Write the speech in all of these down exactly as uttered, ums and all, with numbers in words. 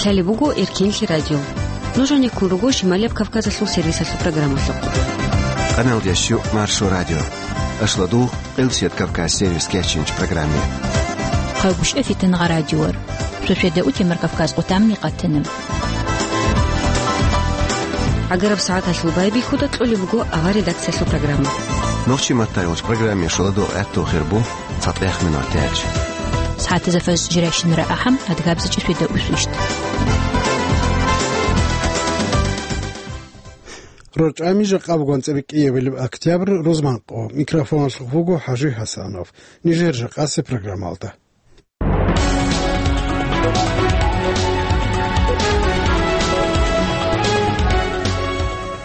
Лъалеб буго Эркенлъи радио. Нуж гьанеккун руго Шималияб Кавказалъул сервисалъул программалъухъ. Къаналдияс щу Маршо радио. Ашладу Къилсият Кавказ сервис кечинч программе. Хъагушев Фитнагъа радиор. Шошеда утемар Кавказ къутамни къатана. Агараб сагӀаталъул байбихьуда кьолеб буго авар редакциялъул программа. Нохчи маттайгъулч программе шоладо гӀатту хирбу. ЦатӀехминал тяч. СагӀатазафаз жирайщинара ахӀам, адгабзачӀи светаусвищ. РорчӀами жакъа бугон цӀеркӀиябилеб октябрь рузманкъо. Микрофоналъухъ буго ХӀажи ХӀасанов. Нижер жакъасе программалда.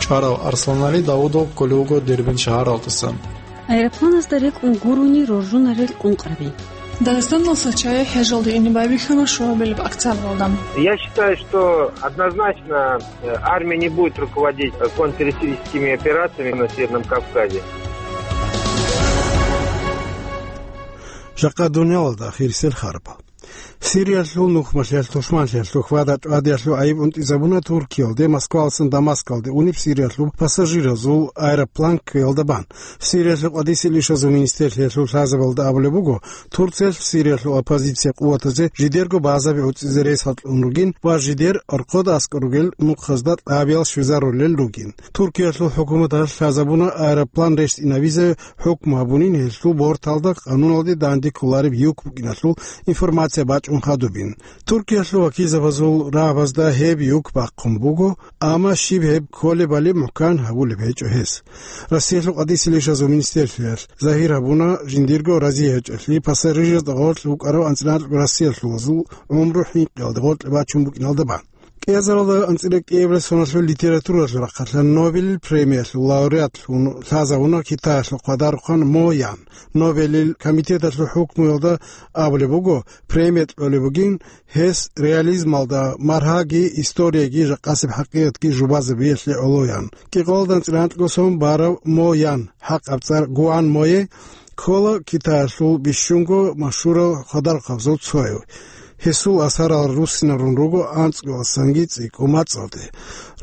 ЧӀварав Арсланали Давудов кколев вуго Дербент шагьаралдасан. Аэропланазда рекӀун гурони роржунарел къункъраби. Дагъистаналъ чагӀи хӀежалде ине байбихьана шуабилеб октябралда. Я считаю, что однозначно, э, армия не будет руководить, э, контртеррористическими операциями на Северном Кавказе. Жакъа дуниялалда ахирисел харбал. Сириялъул нухмалъиялъ тушманлъиялъул хьвада-чӀвадиялъул гӀайиб унтӀизабуна Туркиялде, Москвалсан Дамаскалде унеб Сириялъул пассажиразул аэроплан кквеялда бан. Сириялъул къадисел ишазул министрлъиялъул лъазабалда абулеб буго, Турциялъ Сириялъул оппозиция къуватазе жидерго базаби гӀуцӀизе ресал кьун ругин ва жидер оркъода аскӀор ругел нухазда кьабиял щвезарулел ругин. Туркиялъул хӀукуматалъ лъазабуна аэроплан рещтӀинабизе хӀукму гьабунин гьелъул борталда къануналде данде кколареб юк букӀиналъул информация бачӀун хадубин. Туркиялъул вакилзабазул рагӀабазда гьеб юк бахъун буго, амма щиб гьеб кколебали мухӀкан гьабулеб гьечӀо гьес. Россиялъул къадисел ишазул министрлъиялъ загьир гьабуна, жиндирго разиячӀелъи пассажирзда гъоркь вукӀарав анцӀила анкьго россиялъулазул гӀумру хӀинкъиялде гъоркье бачун букӀиналда бан. КӀиазаралда анцӀила кӀиабилеб соналъул литературалъул рахъалъан Нобелил премиялъул лауреатлъун лъазавуна Китаялъул хъвадарухъан Мо Ян. Нобелил комитеталъул хӀукмуялда абулеб буго, премия кьолеб бугин гьес реализмалда маргьаги, историяги, жакъасеб хӀакъикъатги жубазабиялъе гӀолоян. КӀикъоялда анцӀила анкьго сон барав Мо Ян, хӀакъаб цӀар Гуан Мое, ккола Китаялъул бищунго машгьурал хъвадарухъабазул цояв. Гьесул асарал руссинарун руго анцӀгоялдасанги цӀикӀкӀун мацӀалде.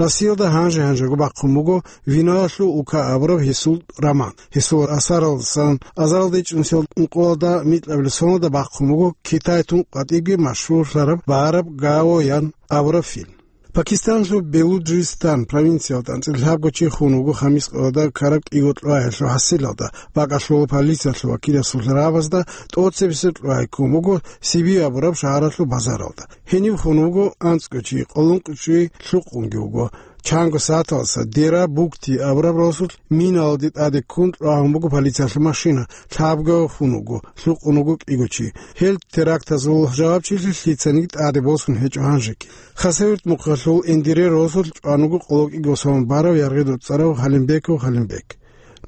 Россиялда гьанже-гьанжего бахъун буго «Виноялъул ука» абураб гьесул роман. Гьесул асаралдасан азаралда ичӀнусиялда ункъоялда микьабилеб соналда бахъун буго Китай тун къватӀибги машгьурлъараб «Бараб Гао» ян абураб фильм. Пакистаналъул Белуджистан провинциялда анцӀила лъабго чи хун вуго хамис къоялда ккараб кӀиго кьвагӀиялъул хӀасилалда, бакӀалъула полициялъул вакиласул рагӀабазда тӀоцебесеб кьвагӀи ккун буго Сиби абураб шагьаралъул базаралда. Гьенив хун вуго анцӀго чи, къоло ункъо чи лъукъунги вуго. Чанго сагӀаталдаса Дера Букти абураб росулъ миналде тӀаде ккун кьвагьун буго полициялъул машина, лъабго хун вуго, лъукъун вуго кӀиго чи. Гьел терактазул жавабчилъи лъицаниги тӀаде босун гьечӀо гьанжеги. Хасавюрт мухъалъул Эндире росулъ чӀван вуго къоло кӀиго сон барав яргъи доцӀцӀарав Халимбеков Халимбек.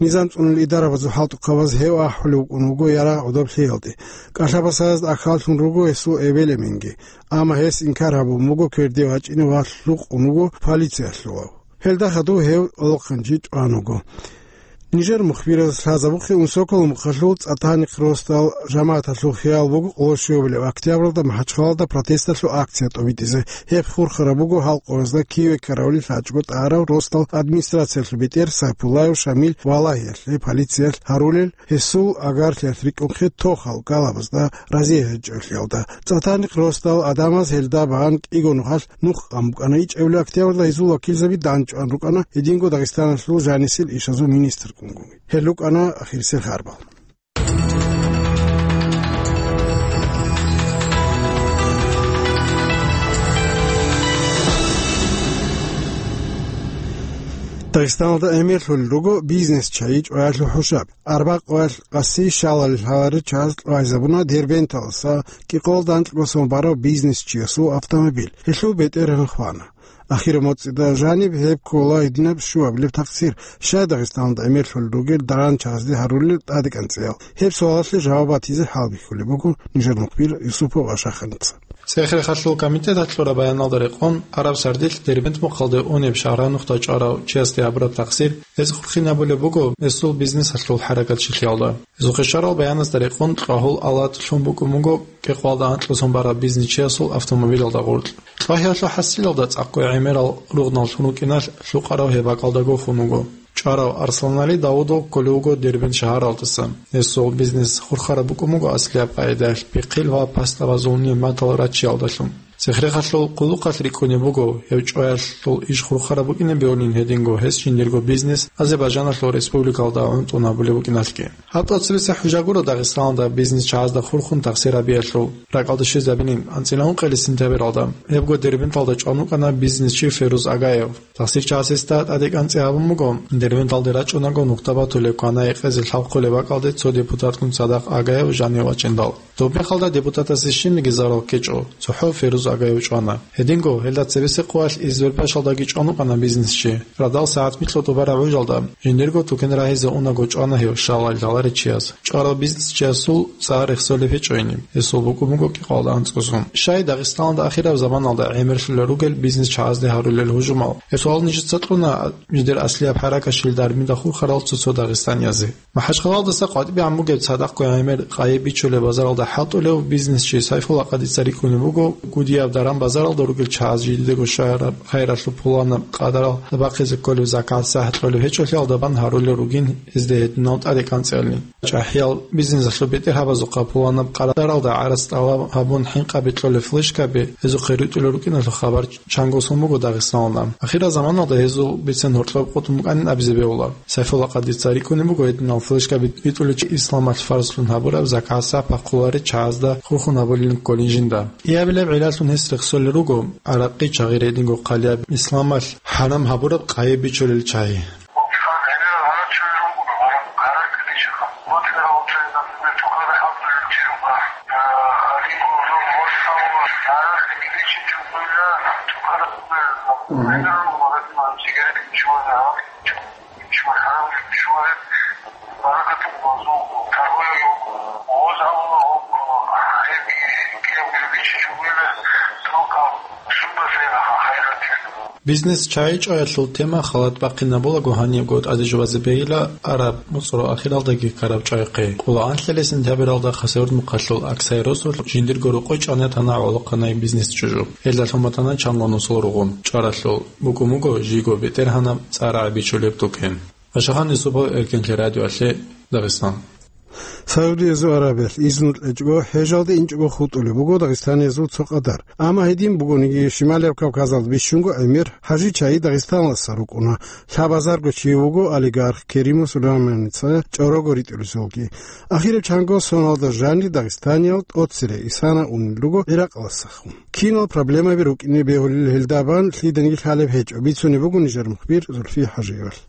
Низам цӀунулел идарабазул хӀалтӀухъабаз гьев ахӀулев вукӀун вуго ярагъ гӀодоб лъиялде. КӀалъабасаязда ахьаллъун руго гьесул эбел-эменги, амма гьес инкар гьабун буго кверде вачӀине ва лъукъун вуго полициялъулав. Гьелда хадув гьев къолохъанчи чӀван вуго. Нижер мухбираз лъазабухъе Унсоколо мухъалъул ЦӀатанихъ росдал жамагӀаталъул хиял буго къоло щуабилеб октябралда МахӀачхъалалда протесталъул акция тӀобитӀизе. Гьеб хурхараб буго гьал къоязда киве ккаравли лъачӀого тӀарав росдал администрациялъул бетӀер Сайпуллаев Шамил валагьиялъе полициялъ гьарулел, гьесул агарлъиялъ рикӀкӀунхъе тохал галабазда разия гьечӀолъиялда. ЦӀатанихъ росдал адамаз гьелда багьан кӀиго нухалъ нух къан букӀана. ИчӀабилеб октябрьда гьезул вакилзаби данчӀван рукӀана гьединго Дагъистаналъул жанисел ишазул министр ккунгун. Гьел рукӀана ахирисел харбал. Дагъистаналда гӀемерлъулел руго бизнес чагӀи чӀваялъул хӀушаб. Арбакъоялъ къаси щалалил гьаларел чагӀаз кьвайзабуна Дербенталдаса кӀикъоялда анкьго сон барав бизнес чиясул автомобиль. Гьелъул бетӀергьан хвана. Ахираб моцӀида жаниб гьеб ккола гьединаб щуабилеб такъсир, щай Дагъистаналда гӀемерлъулел ругел даран чагӀазде гьарулел тӀадекӀанцӀиял? Гьеб суалалъе жаваб батизе хӀалбихьулеб буго нижер мухбир Юсупов Ашаханица. Цех-рехалъул комитеталъ кьураб баяналда рекъон, араб сардилъ Дербент мухъалде унеб шагьранухъда чӀварав чиясде гьабураб тахсир гьез хурхинабулеб буго гьесул бизнесалъул хӀаракатчилъиялда. Гьезухъе щварал баяназда рекъон, кьвагьул алатӀ лъун букӀун буго кӀикъоялда анкьго сон бараб бизнесчиясул автомобилалда гъоркь. Кьвагьиялъул хӀасилалда цӀакъго гӀемерал ругънал лъун рукӀиналъ, лъукъарав гьеб бакӀалдаго хун вуго. ЧӀварав Арсланали Давудов кколев вуго Дербент шагьаралдаса. Гьесул бизнес хурхараб букӀун буго аслияб къагӀидаялъ пихъил ва пастабазул нигӀматал раччиялдалъун. Цех-рехалъул хъулухъалъ рикӀкӀунеб буго, гьев чӀваялъул иш хурхараб букӀинаб бугонин гьединго гьес жиндирго бизнес Азербайджаналъул республикалда гӀунтӀун гьабулеб букӀиналъги. Гьаб тӀоцебесеб хӀужа гуро Дагъистаналда бизнесчагӀазда хурхун тахсир гьабиялъул. РакӀалде щвезабинин, анцӀила ункъоялда сентябралда гьебго Дербенталда чӀван вукӀана бизнесчи Феруз Агаев. Тахсирчияс гьесда тӀадекӀанцӀи гьабун буго, Дербенталде рачӀунаго нухда батулеб кванай гьекъезе лъабхъулеб бакӀалде цо депутатгун цадахъ Агаев жанив вачӀиндал. Доб мехалда депутатасе щибниги зарал ккечӀо, цохӀо Феруз Агаев чӀвана. Гьединго, гьелда цебесеб къоялъ Избербашалдаги чӀван вукӀана бизнесчи. Радал сагӀат микьго тӀубараб гӀужалда, жиндирго тукен рагьизе унаго чӀвана гьев, щалал лъаларев чияс. ЧӀварав бизнесчиясул цӀар рехсолеб гьечӀо гьениб, гьесул букӀун буго кӀикъоялда анцӀго сон. Щай Дагъистаналда ахираб заманалда гӀемерлъулел ругел бизнесчагӀазде гьарулел гьужумал? Гьесул нижеца кьуна жидер аслияб хӀаракат щил дармида хурхарал цо-цо дагъистаниязе. МахӀачхъалаялдаса къватӀибегӀан бугеб цадахъго гӀемер къайи бичулеб базаралда хӀалтӀулев бизнесчи Сайфулла Къадица рикӀкӀунеб буго, гудияб даран-базаралда ругел чагӀаз жидедаго щвараб хайралъул пуланаб къадарал бахъизе кколеб закат сахӀ кьолеб гьечӀолъиялда бан гьарулел ругин гьезда гьединал тӀадекӀанцӀиялин. ЧӀахӀиял бизнесалъул бетӀергьабазухъа пуланаб къадаралда гӀарац тӀалаб гьабун хӀинкъаби кьолел флешкаби гьезухъе рутӀулел рукӀиналъул хабар чанго сон буго Дагъистаналда. Ахирал заманалда гьезул бицен гьоркьоб къотӀун букӀанин абизе бегьула. Сайфулла Къадица рикӀкӀунеб буго гьединал флешкаби ритӀулев чи Исламалъ фарзлъун гьабураб закат сахӀ пахъуларел чагӀазда хурхун гьабулин кколин жинда. КӀиабилеб гӀиллалъун гьес рехсолел руго гӀаракъи, чагъи, гьединго хъалияб Исламалъ хӀарам гьабураб къайи бичулел чагӀи. Бизнес чагӀи чӀваялъул тема халат бахъинабулаго гьанибго тӀаде жубазе бегьила араб муцӀрул ахиралдаги ккараб чӀвайхъе. Къулаанлъилесин сентябралда Хасавюрт мухъалъул Аксай росулъ жиндирго рокъой чӀванетана гӀолохъанай бизнес чӀужу. Гьелдалъун батана чанго нусул ругъун. ЧӀваралъул букӀун буго жийго бетӀергьанаб цӀар гӀебичулеб тукен. Ашахан Юсупов, Эркенлъи радиоялъе, Дагъистан. Саудиязул Аравиялъ изну кьечӀого, хӀежалде инчӀого хутӀулеб буго дагъистаниязул цо къадар. Амма гьедин бугониги, Шималияб Кавказалда бищунго гӀемер хӀажи чагӀи Дагъистаналдаса рукӀуна. Лъабазарго чи вуго олигарх Керимов Сулейманица чӀорого ритӀулесулги. Ахираб чанго соналда жанир дагъистаниял тӀоцере исана унел руго ГӀиракъалдасахун. Кинал проблемаби рукӀине бегьулел гьелда бан лъиданиги лъалеб гьечӀо, бицунеб буго нижер мухбир Зульфия ХӀажиевалъ.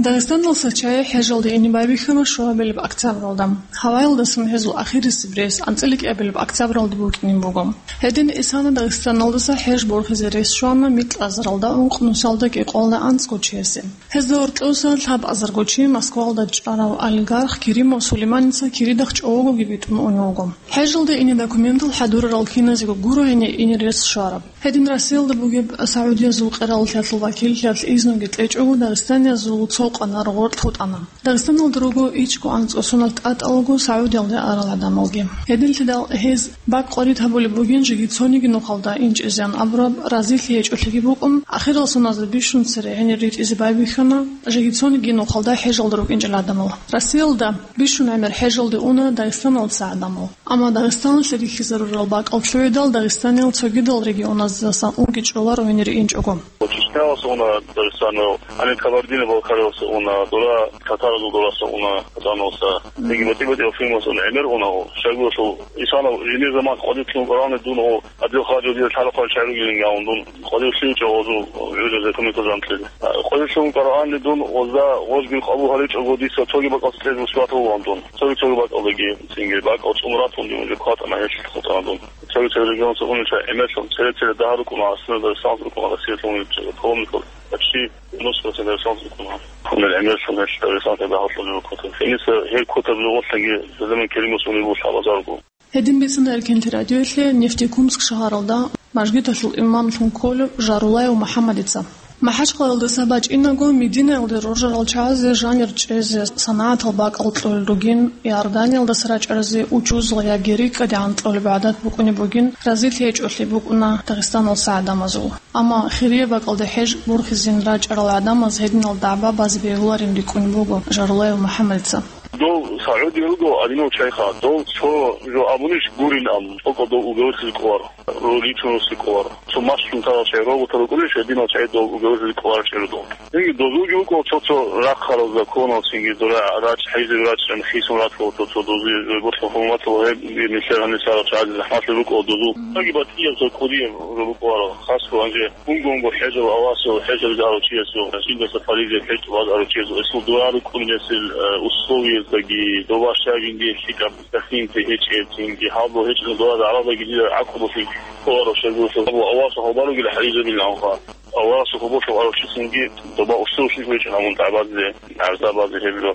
Дагъистаналдаса чагӀи хӀежалде ине байбихьана щуабилеб октябралда. Гьаваялдасан гьезул ахирисеб рейс анцӀила кӀиабилеб октябралда букӀинеб буго. Гьедин исана Дагъистаналдаса хӀеж борхизе рейс щвана микьазаралда ункънусалда кӀикъоялда анцӀго чиясе. Гьезда гьоркьоса лъабазарго чи Москвалда чӀарав олигарх Керимов Сулейманица киридахъ чӀогоги битӀун унев вуго. ХӀежалде ине документал хӀадурарал киназего гуро гьенир ине рес щвараб. Гьедин Россиялда бугеб Саудиязул къераллъиялъул вакиллъиялъ изнуги кьечӀого дагъистаниязул цо къанар гъоркь хутӀана. Дагъистаналда руго ичӀго анцӀго соналъ тӀатӀалаго Саудиялде арал гӀадамалги. Гьединлъидал гьез бакӀ къварид гьабулеб бугин жеги цониги нухалда инчӀезеян абураб разилъи гьечӀолъиги букӀун, ахирал соназда бищун цере гьенир ритӀизе байбихьана жеги цониги нухалда хӀежалда рукӀинчӀел гӀадамал. Россиялда бищун гӀемер хӀежалде уна Дагъистаналдаса гӀадамал. Амма Дагъистаналъе рихьизарурал бакӀал лъугӀидал дагъистаниял цогидал регионаздасан унги чӀоларо гьенир инчӀого. Чечнялдаса уна Дагъистанал, гьаниб Кабардино-Балкариялдаса уна, дора татаразул дораса уна, Казаналдаса. Мгм. Цинги батӀи-батӀиял фирмалдаса уна, гӀемер уна. Щайгурелъул исана жиндир заман къватӀиб лъугьун кӀварални дун гьадинал хъалаялда дида лъала-хъвалел чагӀи ругилинги абун дун къватӀиб лъугьинчӀо гъозул гӀужазе, кумекалъе анлъизе. КъватӀиб лъугьун кӀварални дун гъозда гъожги къабул гьаричӀого дица цоги бакӀалде кьезе мусулманлъун дун. Цоги-цоги бакӀалдаги, цинги бакӀал цӀун ратун дун, уже кватӀана гьелъ хутӀана дун. Цоги-цоги регионалдаса унел чагӀи гӀемерлъун, цере-цере дагьа рукӀуна, аслу Дагъистаналдаса рукӀуна, Россиялъул унел паломникал почти девяносто процент Дагъистаналдаса рукӀуна. Гьунел гӀемерлъун гьелъ Дагъистаналда дагьалъулел квота. Гьениса гьел квота бугелъанги, заман Керимовас унеб буго лъабазарго. Гьедин бицана Эркенлъи радиоялъе Нефтекумск шагьаралда мажгиталъул имамлъун кколев Жарулаев МухӀаммадица. МахӀачкъалаялдаса бачӀинаго, Мединаялде роржарал чагӀазе жанир чӀезе, санагӀатал бакӀал кьолел ругин, Иорданиялдаса рачӀаразе учузал яги рикӀкӀадегӀан кьолеб гӀадат букӀунеб бугин, разилъи гьечӀолъи букӀуна Дагъистаналса гӀадамазул. Амма хирияб бакӀалде хӀеж борхизин рачӀарал гӀадамаз гьединал дагӀба базе бегьуларин рикӀкӀунеб буго Жарулаев МухӀаммадица. Дол СагӀуди руго гьадинав чайха. Дол цо жо абунищ гурин ам, тӀокӀав дол угавеслъи кӀолар, роличунуслъи кӀолар. Цо маслъун тарал чай, робота рукӀунищ, гьединал чай дол угавеслъи кӀолар чӀеро дол. Гьеги дозулги вукӀо цо-цо рахъарал законал, цинги дора рачӀ, хӀайзаби рачӀун хисун ратула цо-цо дозу, ботлъун хӀуматал гьеб нилъер гьанисарал чагӀазе захӀмалъи рукӀо дозул. Гьеги батӀияб цо кӀудияб рукӀуара, хасго гьанже Унго-унго хӀежал авасул, хӀежалги арав чиясул, жиндаса паризел хӀеж тӀубаз арав чиясул, эсул дугӀа рукӀунесил, э, условияздаги, доба щай жиндие лъикӀаб дохинти гьечӀеб, цинги гьалбо гьечӀеб дугӀа гӀарабаги дида гӀакълу босин, хъугьарав щайгурелъул гьабу авасул хабаругила хӀайизабилан ха. Авасул хабалъул арав чи цинги доба условиялъ гьечӀин гьабун дагӀбазе, гӀарзабазе гьеб жо.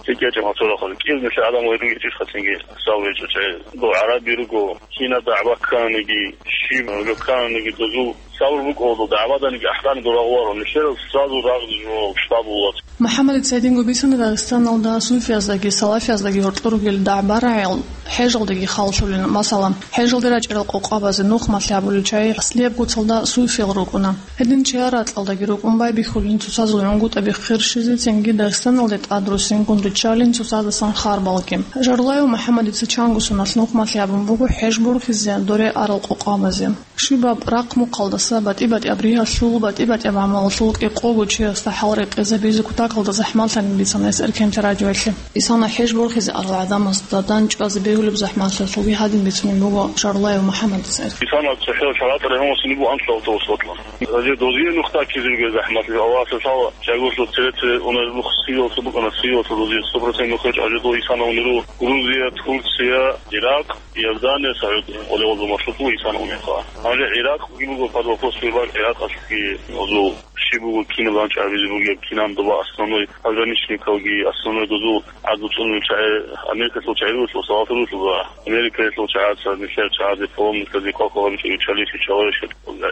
ЛъикӀ гьечӀеб гьасул рахъал. КӀияб нилъер гӀадамал гьечӀищха цинги сав гьечӀо чай. Дов гӀараби руго, кина дагӀба кканиги, щиб жо кканиги дозул Сабур букӀалда дагӀбаданиги ахӀдани дурагъуларо, нилъерал сразу рагъ жо штаб вугьула. МухӀаммадица гьединго бицана Дагъистаналда суфияздаги салафияздаги гьоркьор ругел дагӀба-рагӀиял хӀежалдаги халлъулин. Масала, хӀежалде рачӀарал къокъабазе нухмалъи гьабулел чагӀи аслияб куцалда суфиял рукӀуна. Гьедин чияр ракьалдаги рукӀун байбихьулин цоцазул гӀунгутӀаби хъирщизе, цинги Дагъистаналде тӀад руссингун риччалин цоцаздасан харбалги. Жарулаев МухӀаммадица чанго соналъ нухмалъи гьабун буго хӀеж борхизе доре арал къокъабазе. Щибаб рахъ-мухъалдаса, батӀи-батӀияб ригьалъул, батӀи-батӀияб гӀамалалъул кӀикъого чиясда хӀал рекъезабизе кутакалда захӀмалъани бицана гьес Эркенлъи радиоялъе. Исана хӀеж борхизе арал гӀадамазда данчӀвазе бегьулеб захӀмалъалъулги гьадин бицунеб буго Жарулаев МухӀаммадица. Исана цохӀо шаргӀатӀа регьун васине буго анцӀго автобус батӀун. Гьанже дозие нух даккизе ругел захӀмалъи, Аллагьасда лъала, жагьурлъул цере-цере унел нух Сириялъул букӀана, Сириялъул дозие сто процент нух гьечӀо, гьанже дов Исана унел руго Грузия, Турция, Иракъ. Иордания, СагӀудия, къолебалда маршрут буго Исана унебха. Гьанже Иракъги буго под вопрос выбор, Иракъалъги дозул щиб буго, кинаб гьанчӀ гьабизе бугеб, кинан доба основной пограничникалги, основной дозул гӀадлу цӀунул чагӀи, Америкалъул чагӀи руго, салафи руго, Америкалъул чагӀаца нилъер чагӀазе паломниказе квалквал гьабичӀо, чалихьи чаларищ.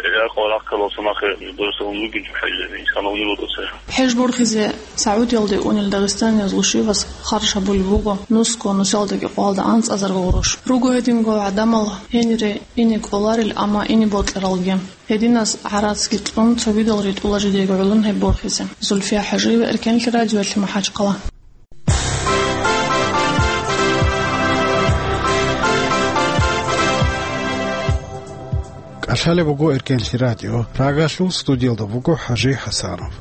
Иракъал рахъалал самахъе доза унлугин чӀухӀазе, Исана унел вуго цо. ХӀеж борхизе СагӀудиялде унел дагъистаниязул щивас харж гьабулеб буго нусго, нусалдаги къоялда анцӀазарго гъурущ. Руго гьединго гӀадамал гьенире ине кӀоларел, амма ине бокьаралги. Гьединаз гӀарацги кьун, цогидал ритӀула жидеего гӀоло гьеб борхизе. Зульфия ХӀажиева, Эркенлъи радиоялъе, МахӀачкъала. КӀалъалеб буго Эркенлъи радио. Рагалъул студиялда буго ХӀажи ХӀасанов.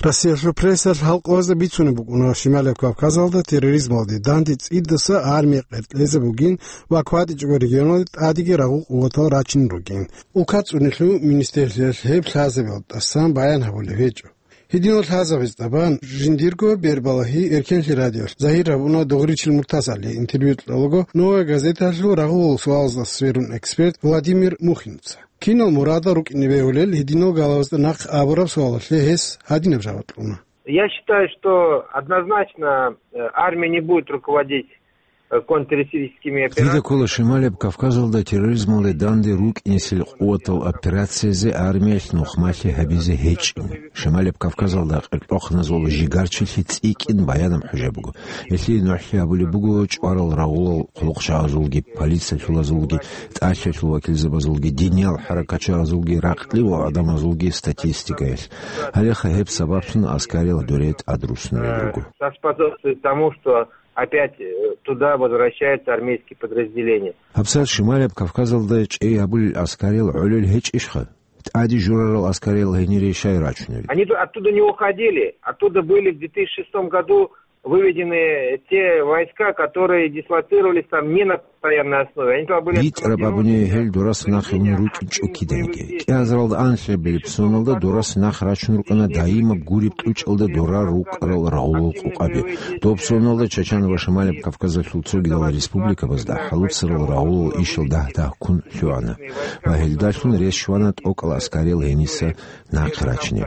Россиялъул прессалъ гьалкъоязда бицунеб букӀуна, Шималияб Кавказалда терроризмалде данде цӀидаса армия къеркьезе бугин ва кватӀичӀого регионалде тӀадеги рагъул къуватал рачинал ругин. Улка цӀунелъул министерствоялъ гьеб лъазабиялда тӀасан баян гьабулеб гьечӀо. Гьединал лъазабиз тӀабан жиндирго бербалагьи Эркенлъи радиоялъ загьир гьабуна Дугъричил Муртазалие интервью кьолаго «Новая газеталъул» рагъулал суалаздаса сверун эксперт Владимир Мухиновца. Кинал мурадал рукӀине бегьулел гьединал галавазда нахъ абураб суалалъе гьес гьадинаб жаваб кьуна. Я считаю, что однозначно, э, армия не будет руководить, э, контртеррористическими операциями. Дида ккола Шималияб Кавказалда терроризмалде данде рукӀинесел къуватал операциязе армиялъ нухмалъи гьабизе гьечӀин. Шималияб Кавказалда къеркьохъаназул жигарчилъи цӀикӀкӀин баянаб хӀужа буго. Гьелъие нугӀлъи гьабулеб буго чӀварал рагъулал хъулухъчагӀазулги, полициялъулазулги, тӀалъиялъул вакилзабазулги, диниял хӀаракатчагӀазулги, ракълилал гӀадамазулги статистикаялъ. Гьалеха гьеб сабаблъун аскариял доре тӀад руснарел руго. Способствует тому, что опять, э, туда возвращаются армейские подразделения. ГьабсагӀат Шималияб Кавказалда чӀей гьабулел аскариял гӀолел гьечӀищха? ТӀаде журарал аскариял гьенире щай рачунел? Они ту-, оттуда не уходили. Оттуда были в две тысячи шестом году Выведены те войска, которые дислоцировались там не на постоянной основе. Они там были... БитӀараб абуни, гьел дурас нахъе ун рукӀинчӀо киданиги. КӀиазаралда анлъабилеб соналда дурас нахъ рачун рукӀана даимаб гуреб кьучӀалда дурар рукӀарал рагъулал къукъаби. Доб соналда Чачан ва Шималаб Кавказалъул цогидал республикабазда хӀалуцарал рагъулал ишал дагь-дагьккун лъугӀана. Ва гьелдалъун рес щвана тӀокӀал аскариял гьениса нахъе рачине.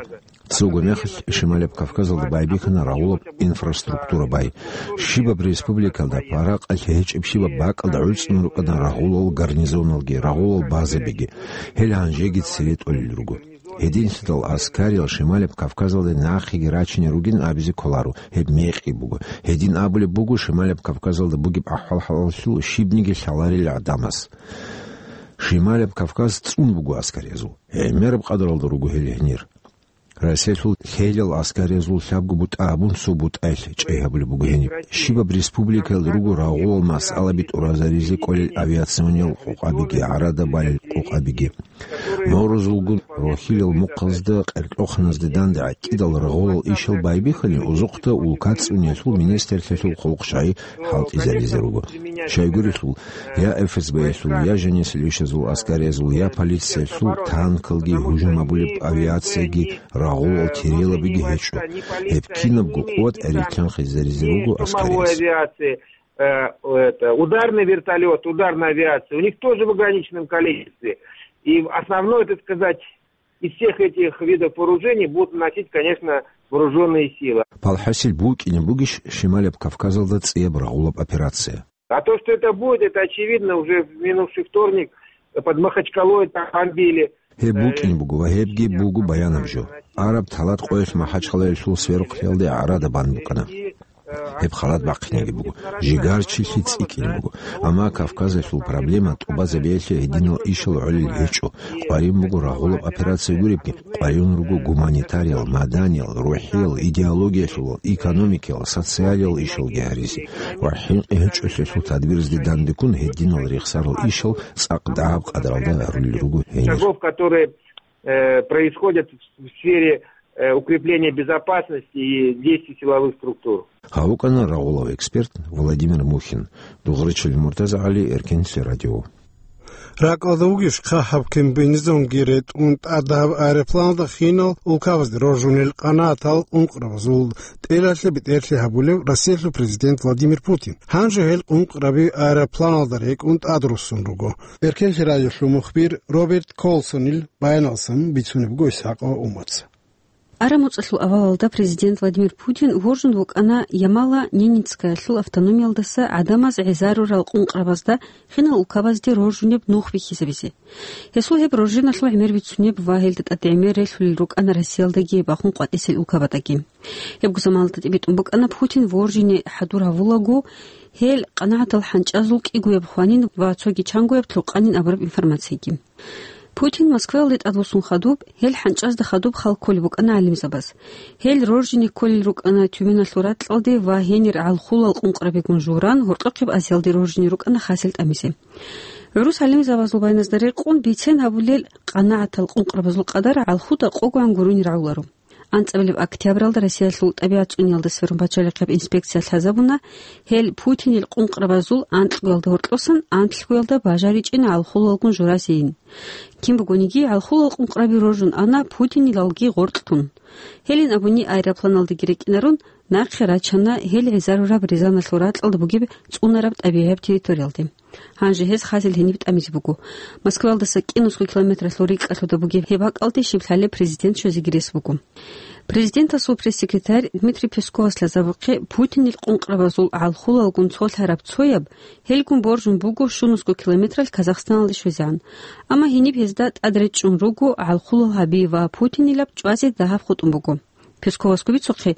Цого мехалъ Шималаб Кавказалда байбихьана рагъулаб инфраструктура бай. Щибаб республикалда паракъалъ гьечӀеб щибаб бакӀалда гӀуцӀун рукӀана рагъулал гарнизоналги, рагъулал базабиги. Гьел гьанжеги цере тӀолел руго. Гьединлъидал аскариял Шималаб Кавказалда нахъеги рачине ругин абизе кколаро, гьеб мекъи буго. Гьедин абулеб буго, Шималаб Кавказалда бугеб ахӀвал-хӀалалъул щибниги лъаларил гӀадамас. Шималаб Кавказ цӀун буго аскариязул. ГӀемераб къадаралда руго гьел гьенир. Россиялъул лъелал аскариязул лъабго бутӀа абун цо бутӀаялъ чӀей гьабулеб буго гьениб. Щибаб республикаялда руго рагъулал масъалаби тӀуразаризе кӀолел авиациониял къукъабиги, гӀарада балел къукъабиги. Морозулгун рохьилал мухъазда, къеркьоханазда данде гӀатӀидал рагъулал ишал байбихьани, узухъда улка цӀуниялъул министрлъиялъул хъулухъ щай хӀалтӀизаризе руго. Щайгурелъул, я ФСБ-ялъул, я жанисел ишазул аскариязул, я полициялъул танкалги, гьужум гьабулеб авиацияги, рагъулал терелабиги гьечӀо. Гьеб кинабго къуват гӀерилъанхъизаризе руго аскариялъ. Авиации, э, это, ударный вертолёт, ударная авиация, у них тоже в ограниченном количестве. И основное, так сказать, из всех этих видов вооружений будут наносить, конечно, вооружённые силы. Палхасил букӀине бугищ Шималаб Кавказалда цӀияб рагъулаб операция? А то, что это будет, это очевидно, уже в минувший вторник под Махачкалой там бомбили. Гьеб букӀине буго ва гьебги буго баянаб жо. Араб талат къоялъ Махачкалаялъул сверухълъиялде гӀарада бан букӀана. Гьеб халат бахъинеги буго, жигарчилъи цӀикӀкӀине буго. Амма Кавказалъул проблема тӀубазабиялъе гьединал ишал гӀолел гьечӀо. Къварин буго рагъулаб операция гуребги, къварин руго гуманитариял, маданиял, рухӀиял, идеологиялъулал, экономикиял, социалиял ишалги гьаризе. Ва хӀинкъи гьечӀолъиялъул тадбирзде дандеккун гьединал рехсарал ишал цӀакъ дагьаб къадаралда гьарулел руго гьенир. Шагов, которые, э, происходят в сфере, э, укрепления безопасности и действий силовых структур. Гьав вукӀана рагъулав эксперт Владимир Мухин. Дугърачил МуртазагӀали, Эркенлъи радио. РакӀалда вугищ хъахӀаб комбинезонги ретӀун тӀадаб аэропланалда хинал улкабазде роржунел къанагӀатал къункърабазул тӀелалъе бетӀерлъи гьабулев Россиялъул президент Владимир Путин? Гьанже гьел къункъраби аэропланалда рекӀун тӀадруссун руго. Эркенлъи радиолъул мухбир Роберт Колсонил баяналсан бицунеб буго Исхакъова Умаца. Арамуцалъул авалалда президент Владимир Путин вожун вукӀана Ямала-Ненецкаялъул автономиялдаса гӀадамаз гӀезарурал къункърабазда хинал улкабазде роржунеб нух бихьизабизе. Гьесул гьеб роржиналъул гӀемер бицунеб ва гьелда тӀад гӀемер релълъулел рукӀана Россиялдаги бахун къватӀисел улкабаздаги. Гьебго заманалда тӀибитӀун букӀана Путин вожине хӀадур гьавулаго, гьел къанагӀатал хӀанчӀазул кӀигояб хванин ва цоги чангояб лъукъанин абураб информацияги. Путин Москваялде тӀадвуссун хадуб, гьел хӀанчӀазда хадуб хал кколеб букӀана гӀалимзабаз. Гьел роржине кколел рукӀана Тюменалъул ракьалде ва гьенир гӀалхулал къункърабигун журан, гьоркьохъеб Азиялде роржине рукӀана хасел тӀамизе. ГӀурус гӀалимзабазул баяназда рекъон, бицен гьабулел къанагӀатал къункърабазул къадар гӀалхуда къогоан гурони рагӀуларо. АнцӀабилеб октябралда Россиялъул тӀабигӀат цӀуниялда сверун пачалихъияб инспекция лъазабуна, гьел Путинил къункърабазул анкьгоялда гьоркьосан анлъгоялда бажаричӀин гӀалхулалгун журазейин. Кин бугониги, гӀалхулал къункърабиги роржун ана Путинилалги гъоркьлъун. Гьелин абуни аэропланалдаги рекӀинарун, нахъе рачана гьел гӀезарураб Рязаналъул ракьалда бугеб цӀунараб тӀабигӀияб территориялде. Гьанже гьез хасел гьениб тӀамизе буго. Москваялдаса кӀинусго километралъул рикӀкӀалъуда бугеб гьеб бакӀалде щиблъалеб президент щвезеги рес буго. Президентасул пресс-секретарь Дмитрий Песковас лъазабухъе, Путинил къункърабазул гӀалхулалгун цолъараб цояб, гьелгун боржун буго щунусго километралъ Казахстаналде щвезегӀан. Амма гьениб гьезда тӀад речӀчӀун руго гӀалхулал гьаби ва Путинилаб чӀвазе дагьаб хутӀун буго. Песковасго бицухъе,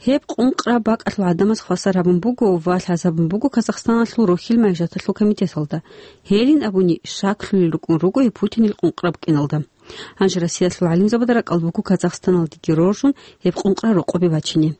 гьеб къункъраб бакӀалъул гӀадамаз хвасар гьабун буго ва лъазабун буго Казахстаналъул рохьил-магьижаталъул комитеталда. Гьелин абуни, шаклъулел рукӀун руго гьеб Путинил къункъраб кӀиналда. Гьанже Россиялъул гӀалимзабазда ракӀалда буго Казахстаналдеги роржун гьеб къункъра рокъобе бачине.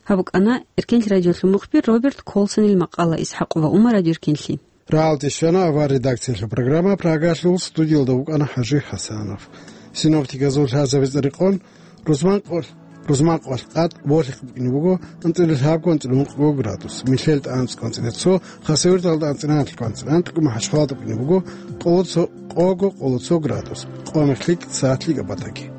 Гьаб букӀана Эркенлъи радиолъул мухбир Роберт Колсонил макъала. Исхакъова Умар, Радио Эркенлъи. Рагьалде щвана авар редакциялъул программа. Прагалъул студиялда вукӀана ХӀажи ХӀасанов. Синоптиказул лъазабица рекъон, рузман къо-, Рузманкъоялъ къад волъихъ букӀине буго анцӀила лъабго, анцӀила ункъго градус, Милъелда анцӀго, анцӀила цо, Хасавюрталда анцӀила анлъго, анцӀила анкьго, МахӀачхъалада букӀине буго къоло цо, къого, къоло цо градус, къо-мех лъикӀ, сагӀат лъикӀаб батаги.